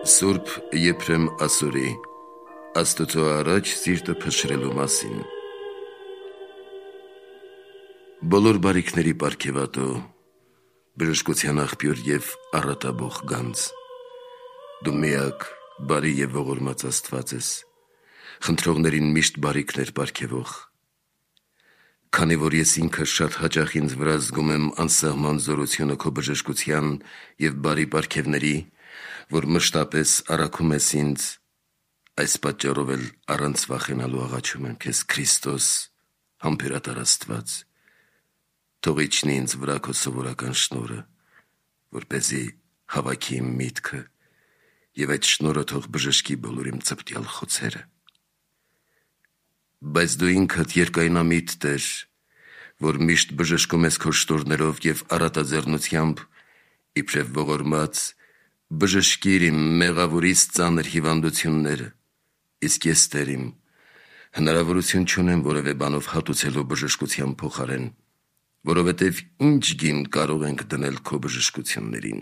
Սուրբ Եփրեմ ասորի Աստծո առաջ սիրտը փշրելու մասին։ Բոլոր բարիքների պարգևատու, բժշկության աղբյուր եւ առատաբող գանձ, դու միակ բարի եւ ողորմած Աստված ես, խնդրողներին միշտ բարիքներ պարգևող։ Քանի որ ես ինքս շատ հաճախ ինձ վրա զգում եմ անսահման զորությունը քո բժշկության եւ բարի պարգևների, որ մշտապես առաքում ես ինձ, այս պատճառով էլ առանց վախենալու աղաչում եմ քեզ, Քրիստոս, համբերատար Աստված, թող իջնի ինձ վրա քո սովորական շնորհը, որպեսզի հավաքի իմ միտքը եւ այդ շնորհը թող բժշկի բոլոր իմ ծպտյալ խոցերը։ Բայց դու ինքդ երկայնամիտ Տեր, որ միշտ բժշկում ես քո շնորհներով եւ առատաձեռնությամբ, իբրև ողորմած, բժշկիր իմ մեղավորից ծանր հիվանդությունները, իսկ ես Տեր իմ, հնարավորություն չունեմ որևէ բանով հատուցելու բժշկության փոխարեն, որովհետև ինչ գին կարող ենք դնել քո բժշկություններին։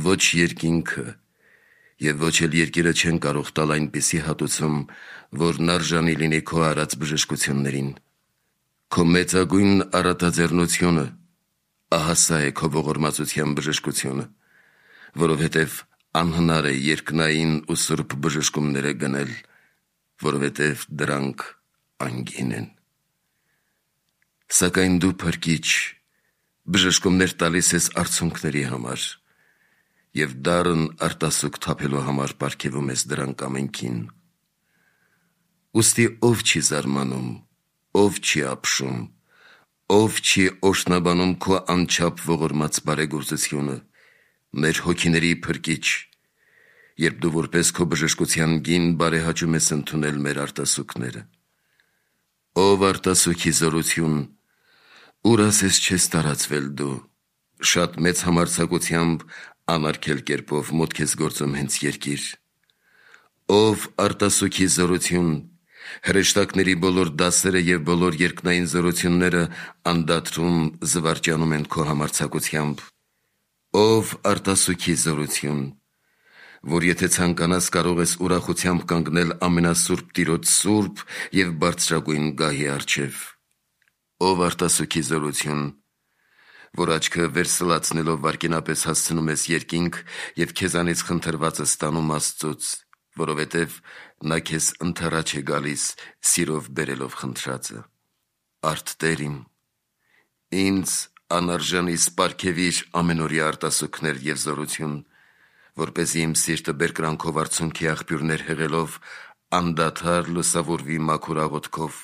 Ոչ երկինքը եւ ոչ էլ երկիրը չեն կարող տալ այնպիսի հատուցում, որն արժանի լինի քո արած բժշկություններին։ Քո մեծագույն առատաձեռնությունը, ահա սա է քո ողորմածության բժշկությունը, որովհետև անհնար է երկնային ու սուրբ բժշկումները գնել, որովհետև դրանք անգին են։ Սակայն դու փրկիչ, բժշկումներ տալիս ես արցունքների համար, եւ դառն արտասուք թափելու համար պարգևում ես դրանք ամենքին։ Ուստի ով չի զարմանում, ով չի ապշում, ով չի օշնաբանում քո անչափ ողորմած բարեգործությունը, մեր հոգիների փրկիչ, երբ դու որպես քո բժշկության գին բարեհաճում ես ընդունել մեր արտասուքները։ Ով արտասուքի զորություն, ուր ասես չես տարածվել դու, շատ մեծ համարձակությամբ անարգել կերպով մուտք ես գործում հենց երկիր։ Ով արտասուքի զորություն, հրեշտակների բոլոր դասերը եւ բոլոր երկնային զորությունները անդադրում զվարճանում են քո համարձակությամբ։ Ով արտասուքի զորություն, որ եթե ցանկանաս կարող ես ուրախությամբ կանգնել ամենասուրբ Տիրոջ սուրբ եւ բարձրագույն գահի առջև։ Ով արտասուքի զորություն, որ աչքը վերսլացնելով վարկենապես հասցնում ես երկինք եւ քեզանից խնդրվածը ստանում Աստծուց, որովհետեւ նա քեզ ընթառաջ է գալիս սիրով բերելով խնդրածը։ Արդ Տեր իմ, ինձ անարժանիս պարգևիր ամենօրյա արտասուքներ եւ զորություն, որպեսզի իմ սիրտը բերկրանքով արցունքի աղբյուրներ հեղելով անդադար լուսավորվի մաքուր աղոթքով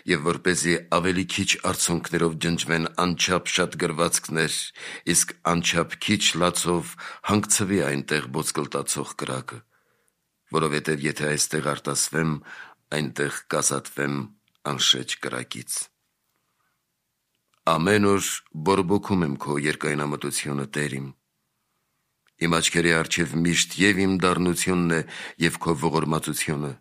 եւ որպեսզի ավելի քիչ արցունքներով ջնջվեն անչափ շատ գրվածքներ, իսկ անչափ քիչ լացով հանգցվի այնտեղ ոսկլտացող կրակը, որովհետեւ եթե այստեղ արտասվեմ, այնտեղ կազատվեմ անշեջ կրակից։ Ամեն օր բորբոքում եմ քո երկայնամտությունը, Տեր իմ։ Իմ աչքերի առջև միշտ եւ իմ դառնությունն է եւ քո ողորմածությունը,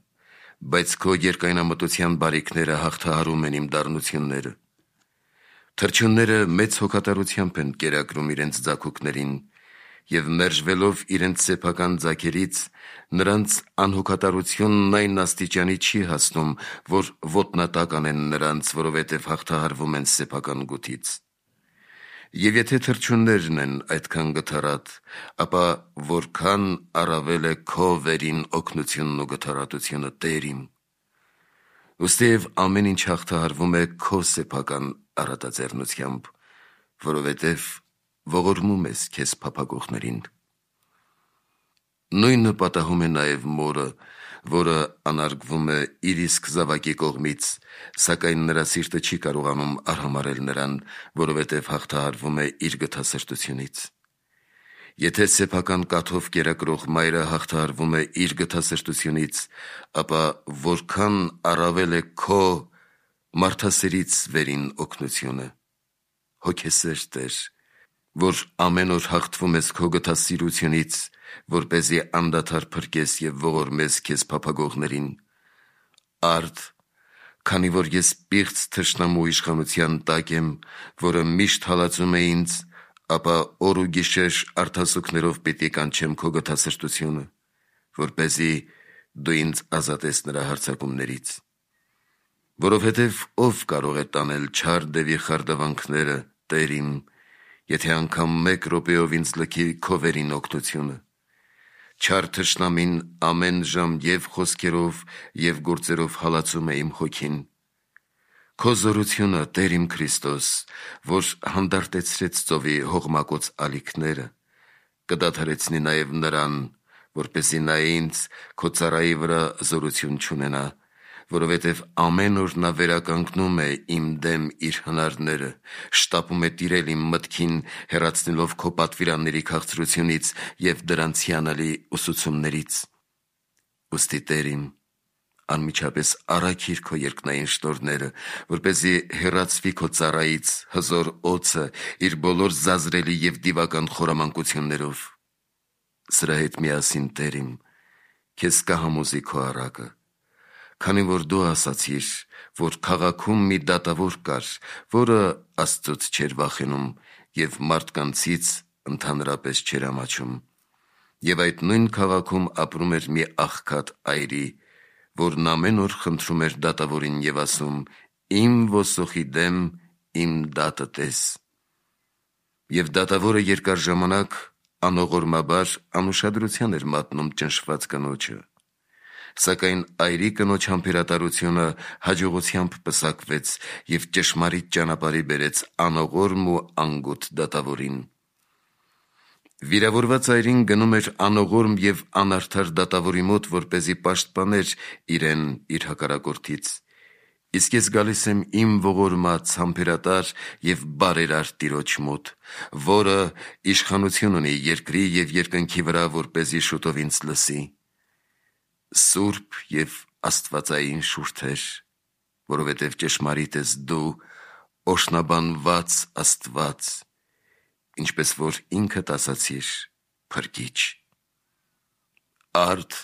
բայց քո երկայնամտության բարիքները հաղթահարում են իմ դառնությունները։ Թրջունները մեծ հոգատարությամբ են կերակրում իրենց ձագուկներին եւ մերժվելով իրենց սեփական ձագերից, նրանց անհոգատարությունն այն աստիճանի չի հասնում, որ ոտնատակ անեն նրանց, որովհետեւ հաղթահարվում են սեփական գութից։ Եվ եթե թրջուններն են այդքան գթառատ, ապա որքան առավել է քո վերին օգնությունն ու գթառատությունը, Տեր իմ։ Ըստև ամեն ինչ հաղթահարվում է քո սեփական առատաձեռնությամբ, որովհետև ողորմում ես քեզ փափագողներին։ Նույնը պատահում է նաև մորը, որը անարգվում է իր իսկ զավակի կողմից, սակայն նրա սիրտը չի կարողանում արհամարել նրան, որովհետև հաղթահարվում է իր գթասրտությունից։ Եթե սեփական կաթով կերակրող մայրը հաղթահարվում է իր գթասրտությունից, ապա որքան առավել է քո մարդասերից վերին օգնությունը, հոգեսեր Տեր, որ ամեն օր հաղթվում ես քո գթասիրությունից, որպեսզի անդադար փրկես եւ ողորմես քեզ փափագողներին։ Արդ, քանի որ ես պիղծ թշնամու իշխանության տակ եմ, որը միշտ հալածում է ինձ, ապա օր ու գիշեր արդասուքներով պիտի կանչեմ քո գթասրտությունը, որպեսզի դու ինձ ազատես նրա հարձակումներից։ Որովհետև ով կարող է տանել չար դևի խարդավանքները, Տեր իմ, եթե անգամ մեկ րոպեով ինձ լքի քո վերին օգնությունը։ Չար թշնամին ամեն ժամ և խոսքերով և գործերով հալածում է իմ հոգին։ Քո զորությունը, Տեր իմ Քրիստոս, որ հանդարտեցրեց ծովի հողմակոծ ալիքները, կդադարեցնի նաև նրան, որպեսզի նա ինձ քո ծառայի վրա զորություն չունենա, որովհետև ամեն օր նա վերականգնում է իմ դեմ իր հնարները, շտապում է տիրել իմ մտքին, հեռացնելով քո պատվիրանների քաղցրությունից և դրանց հիանալի ուսուցումներից։ Ուստի, Տեր իմ, անմիջապես առաքիր քո երկնային շնորհները, որպեսզի հեռացվի քո ծառայից հզոր օձը իր բոլոր զազրելի և դիվական խորամանկություններով։ Սրա հետ միասին, Տեր իմ, քեզ կհամոզի քո առակը, քանի որ դու ասացիր, որ քաղաքում մի դատավոր կար, որը Աստծուց չէր վախենում և մարդկանցից ընդհանրապես չէր ամաչում։ Եվ այդ նույն քաղաքում ապրում էր մի աղքատ այրի, որն ամեն օր խնդրում էր դատավորին և ասում. «Իմ ոսոխի դեմ իմ դատը տես»։ Եվ դատավորը երկար ժամանակ անողորմաբար անուշադրության էր մատնում ճնշված կնոջը։ Սակայն այրի կնոջ համբերատարությունը հաջողությամբ պսակվեց և ճշմարիտ ճանապարհի բերեց անողորմ ու անգութ դատավորին։ Վիրավորված այրին գնում էր անողորմ և անարդար դատավորի մոտ, որպեսզի պաշտպաներ իրեն իր հակառակորդից։ Իսկ ես գալիս եմ իմ ողորմած, համբերատար և բարերար Տիրոջ մոտ, որը իշխանություն ունի երկրի և երկնքի վրա, որպեսզի շուտով ինձ լսի։ Սուրբ և աստվածային շուրթեր, որովհետև ճշմարիտ ես դու, օրհնաբանված Աստված, ինչպես որ ինքդ ասացիր, Փրկիչ։ Արդ,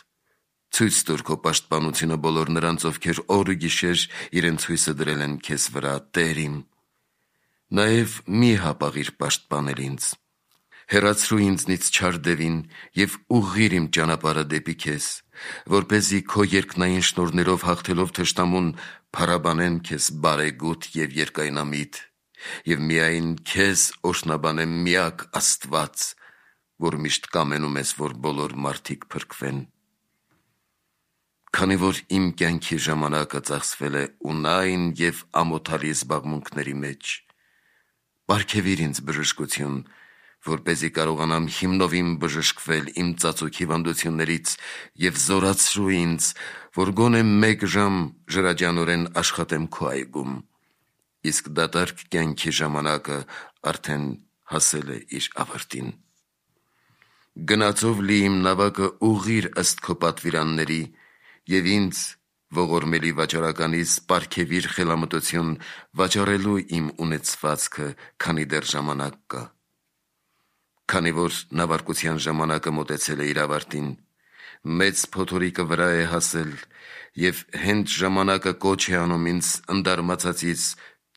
ցույց տուր քո պաշտպանությունը բոլոր նրանց, ովքեր օր ու գիշեր իրենց հույսը դրել են քեզ վրա, Տեր իմ։ Նաև մի հապաղիր պաշտպանել ինձ։ Հեռացրու ինձնից չար դևին և ուղղիր իմ ճանապարհը դեպի քեզ, որպեսզի քո երկնային շնորհներով հաղթելով թշնամուն փառաբանեմ քեզ բարեգութ և երկայնամիտ, և միայն քեզ օրհնաբանեմ միակ Աստված, որ միշտ կամենում ես, որ բոլոր մարդիկ փրկվեն։ Քանի որ իմ կյանքի ժամանակը ծախսվել է ունայն և ամոթալի զբաղմունքների մեջ, պարգևիր ինձ բժշկություն, որպեսզի կարողանամ հիմնովին բժշկվել իմ ծածուկ հիվանդություններից և զորացրու ինձ, որ գոնե մեկ ժամ ժրաջանորեն աշխատեմ քո այգում, իսկ դատարկ կյանքի ժամանակը արդեն հասել է իր ավարտին։ Գնացով լի իմ նավակը ուղղիր ըստ քո պատվիրանների և ինձ ողորմելի վաճառականիս պարգևիր խելամտություն վաճառելու իմ ունեցվածքը, քանի դեռ ժամանակ կա։ Քանի որ նավարկության ժամանակը մոտեցել է իր ավարտին, մեծ փոթորիկը վրա է հասել և հենց ժամանակը կոչ է անում ինձ ընդարմացածից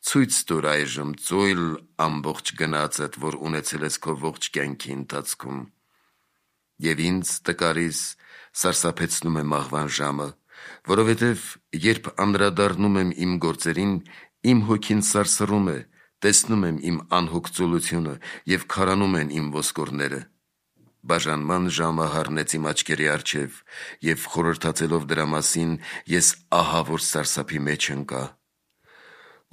ցույց տուր այժմ ծույլ ամբողջ գնացդ, որ ունեցել ես քո ողջ կյանքի ընթացքում։ Եվ ինձ տկարիս սարսափեցնում է մահվան ժամը, որովհետև երբ անդրադառնում եմ իմ գործերին, իմ հոգին սարսռում է, տեսնում եմ իմ անհոգ ծուլությունը և քարանում են իմ ոսկորները։ Բաժանման ժամը հառնեց իմ աչքերի առջև, և խորհրդացելով դրա մասին, ես ահավոր սարսափի մեջ ընկա։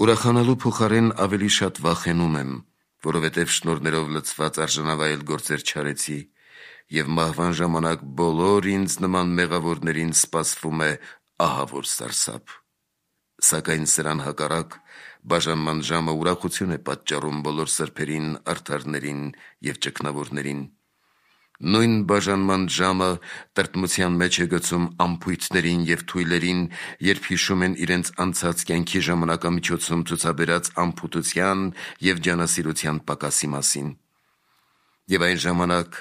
Ուրախանալու փոխարեն ավելի շատ վախենում եմ, որովհետև շնորհներով լցված արժանավայել գործեր չարեցի, և մահվան ժամանակ բոլոր ինձ նման մեղավորներին սպասվում է ահավոր սարսափ։ Սակայն սրան հակառակ, բաժանման ժամը ուրախություն է պատճառում բոլոր սրբերին, արդարներին և ճգնավորներին։ Նույն բաժանման ժամը տրտմության մեջ է գցում անփույթներին և թույլերին, երբ հիշում են իրենց անցած կյանքի ժամանակամիջոցում ցուցաբերած անփութության և ջանասիրության պակասի մասին։ Եվ այն ժամանակ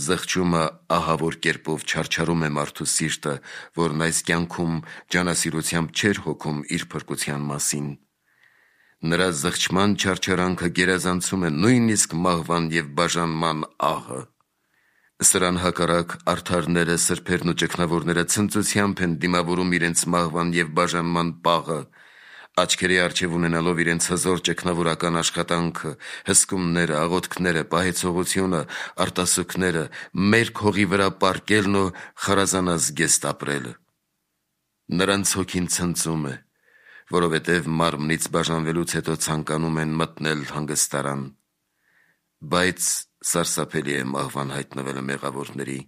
զղջումը ահավոր կերպով չարչարում է մարդու սիրտը, որն այս կյանքում ջանասիրությամբ չէր հոգում իր փրկության մասին։ Նրա զղջման չարչարանքը գերազանցում է նույնիսկ մահվան և բաժանման ահը։ Սրան հակառակ արդարները, սրբերն ու ճգնավորները ցնծությամբ են դիմավորում իրենց մահվան և բաժանման պաղը, աչքերի առջև ունենալով իրենց հզոր ճգնավորական աշխատանքը, հսկումները, աղոթքները, պահեցողությունը, արտասուքները, մերկ հողի վրա պառկելն ու խարազանազգեստ ապրելը։ Նրանց հոգին ցնծում է, որովհետև մարմնից բաժանվելուց հետո ցանկանում են մտնել հանգստարան, բայց սարսափելի է մահվան հայտնվելը մեղավորների,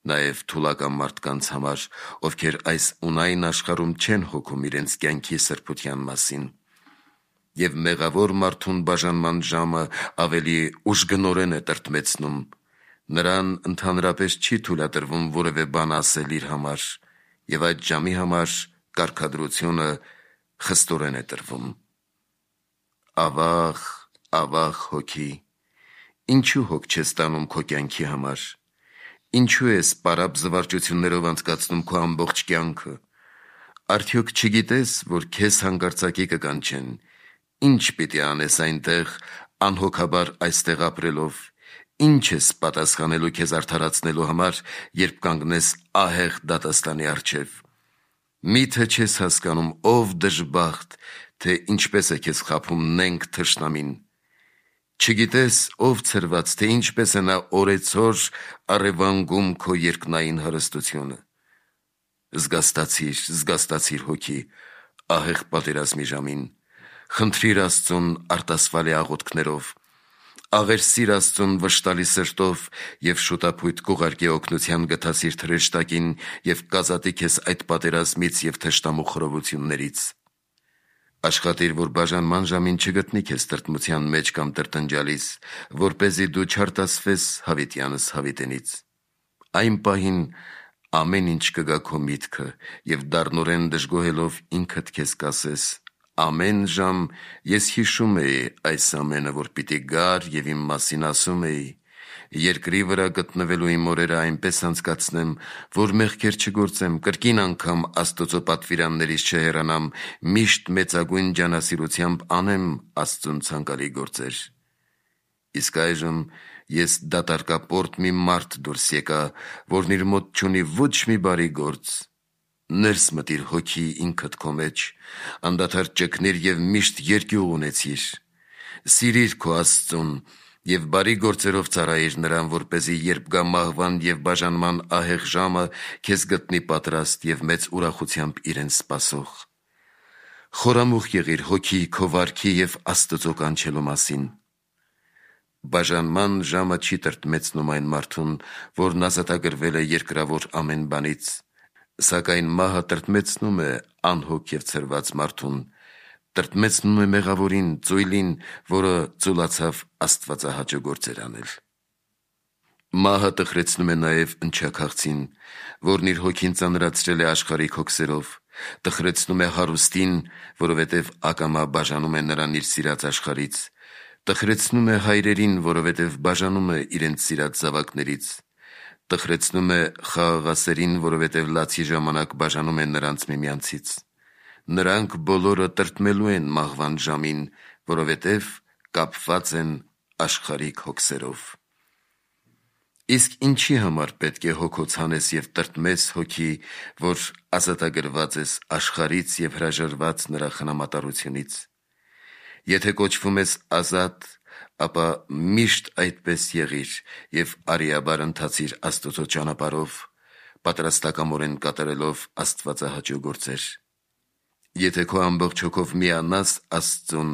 նաև թուլական մարդկանց համար, ովքեր այս ունայն աշխարհում չեն հոգում իրենց կյանքի սրբության մասին, և մեղավոր մարդուն բաժանման ժամը ավելի ուժգնորեն է տրտմեցնում, նրան ընդհանրապես չի թույլատրվում որևէ բան ասել իր համար, և այդ ժամի համար կարգադրությունը խստորեն է տրվում։ Ավաղ, ավաղ հոգի, ինչու հոգ չես տանում քո կյանքի համար, ինչու ես պարապ զվարճություններով անցկացնում քո ամբողջ կյանքը, արդյոք չգիտես, որ քեզ հանկարծակի կկանչեն, ինչ պիտի անես այնտեղ անհոգաբար այստեղ ապրելով, ինչ ես պատասխանելու քեզ արդարացնելու համար, երբ կանգնես ահեղ դատաստանի առջև, միթե չես հասկանում, ով դժբախտ, թե ինչպես է քեզ խաբում նենգ թշնամին, չգիտես, ով ցրված, թե ինչպես է նա օրեցօր առևանգում քո երկնային հարստությունը, զգաստացիր հոգի, ահեղ պատերազմի ժամին, խնդրիր Աստծուն արտասվալի աղոթքներով, աղերսիր Աստծուն վշտալի սրտով և շուտափույթ կուղարկի օգնության գթասիր թրեշտակին և կազատի քեզ այդ պատերազմից և թշնամու խռովություններից։ Աշխատիր, որ բաժանման ժամին չգտնի քեզ տրտմության մեջ կամ տրտնջալիս, որպեսզի դու չարտասվես հավիտյանս հավիտենից։ Այն պահին ամեն ինչ կգա քո միտքը և դառնորեն դժգոհելով ինքդ քեզ կասես. «Ամեն ժամ ես հիշում էի այս ամենը, որ պիտի գար և իմ մասին ասում էի. երկրի վրա գտնվելու իմ օրերը այնպես անցկացնեմ, որ մեղքեր չգործեմ, կրկին անգամ Աստծո պատվիրաններից չհեռանամ, միշտ մեծագույն ջանասիրությամբ անեմ Աստծուն ցանկալի գործեր։ Իսկ այժմ ես դատարկապորտ մի մարդ դուրս եկա, որն իր մոտ չունի ոչ մի բարի գործ։ Ներս մտիր հոգի ինքդ քո մեջ, անդադար ճգնիր և միշտ երկյուղ ունեցիր, սիրիր քո Աստծուն և բարի գործերով ծառայիր նրան, որպեսզի երբ գա մահվան և բաժանման ահեղ ժամը, քեզ գտնի պատրաստ և մեծ ուրախությամբ իրեն սպասող։ Խորամուխ եղիր հոգի քո վարքի և Աստծո կանչելու մասին։ Բաժանման ժամը չի տրտմեցնում այն մարդուն, որն ազատագրվել է երկրավոր ամեն բանից, սակայն մահը տրտմեցնում է անհոգ և ցրված մարդուն, տրտմեցնում է մեղավորին, ծույլին, որը ծուլացավ աստվածահաճո գործեր անել։ Մահը տխրեցնում է նաև ընչաքաղցին, որն իր հոգին ծանրացրել է աշխարհիկ հոգսերով, տխրեցնում է հարուստին, որովհետև ակամա բաժանում է նրան իր սիրած աշխարհից, տխրեցնում է հայրերին, որովհետև բաժանում է իրենց սիրած զավակներից, տխրեցնում է խաղաղասերին, որովհետև լացի ժամանակ բաժանում են նրանց միմյանցից։ Նրանք բոլորը տրտմելու են մահվան ժամին, որովհետև կապված են աշխարհիկ հոգսերով։ Իսկ ինչի համար պետք է հոգոց հանես և տրտմես հոգի, որ ազատագրված ես աշխարհից և հրաժարված նրա խնամատարությունից։ Եթե կոչվում ես ազատ, ապա միշտ այդպես եղիր և արիաբար ընթացիր Աստծո ճանապարհով, պատրաստակամորեն կատարելով աստվածահաճո գործեր։ Եթե քո ամբողջ հոգով միանաս Աստծուն,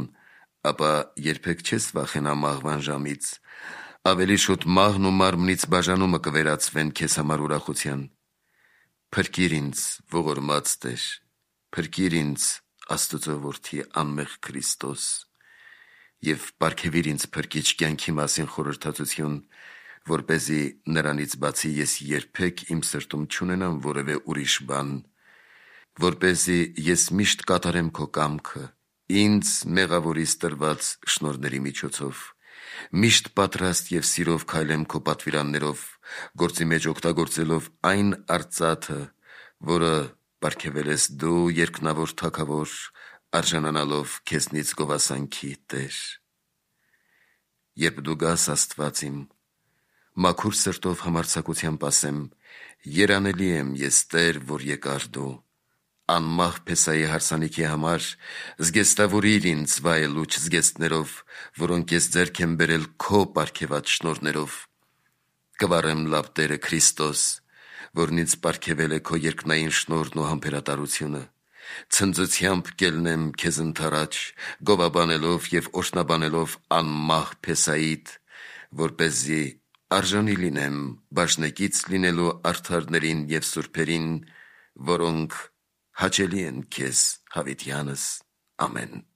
ապա երբեք չես վախենա մահվան ժամից, ավելի շուտ մահն ու մարմնից բաժանումը կվերածվեն քեզ համար ուրախության։ Փրկիր ինձ, ողորմած Տեր, փրկիր ինձ, Աստծո որդի անմեղ Քրիստոս, և պարգևիր ինձ փրկիչ կյանքի մասին խորհրդածություն, որպեսզի նրանից բացի ես երբեք իմ սրտում չունենամ որևէ ուրիշ բան, որպեսզի ես միշտ կատարեմ քո կամքը, ինձ մեղավորիս տրված շնորհների միջոցով, միշտ պատրաստ և սիրով քայլեմ քո պատվիրաններով, գործի մեջ օգտագործելով այն արծաթը, որը պարգևել ես դու երկնավոր թագավոր, արժանանալով քեզնից գովասանքի Տեր։ Երբ դու գաս, Աստված իմ, մաքուր սրտով համարձակությամբ ասեմ, երանելի եմ ես Տեր, որ եկար դու, անմահ Փեսայի հարսանիքի համար զգեստավորիր ինձ վայելուչ զգեստներով, որոնք ես ձեռք եմ բերել քո պարգևած շնորհներով։ Կվառեմ լավ Տերը Քրիստոս, որն ինձ պարգևել է քո երկնային շնորհն ու համբերատարությունը։ Ցնծությամբ կելնեմ քեզ ընդառաջ, գովաբանելով և օրհնաբանելով անմահ Փեսայիդ, որպեսզի արժանի լինեմ բաժնեկից լինելու արդարներին և սուրբերին, որոնք հաճելի են քեզ, հավիտյանս։ Ամեն։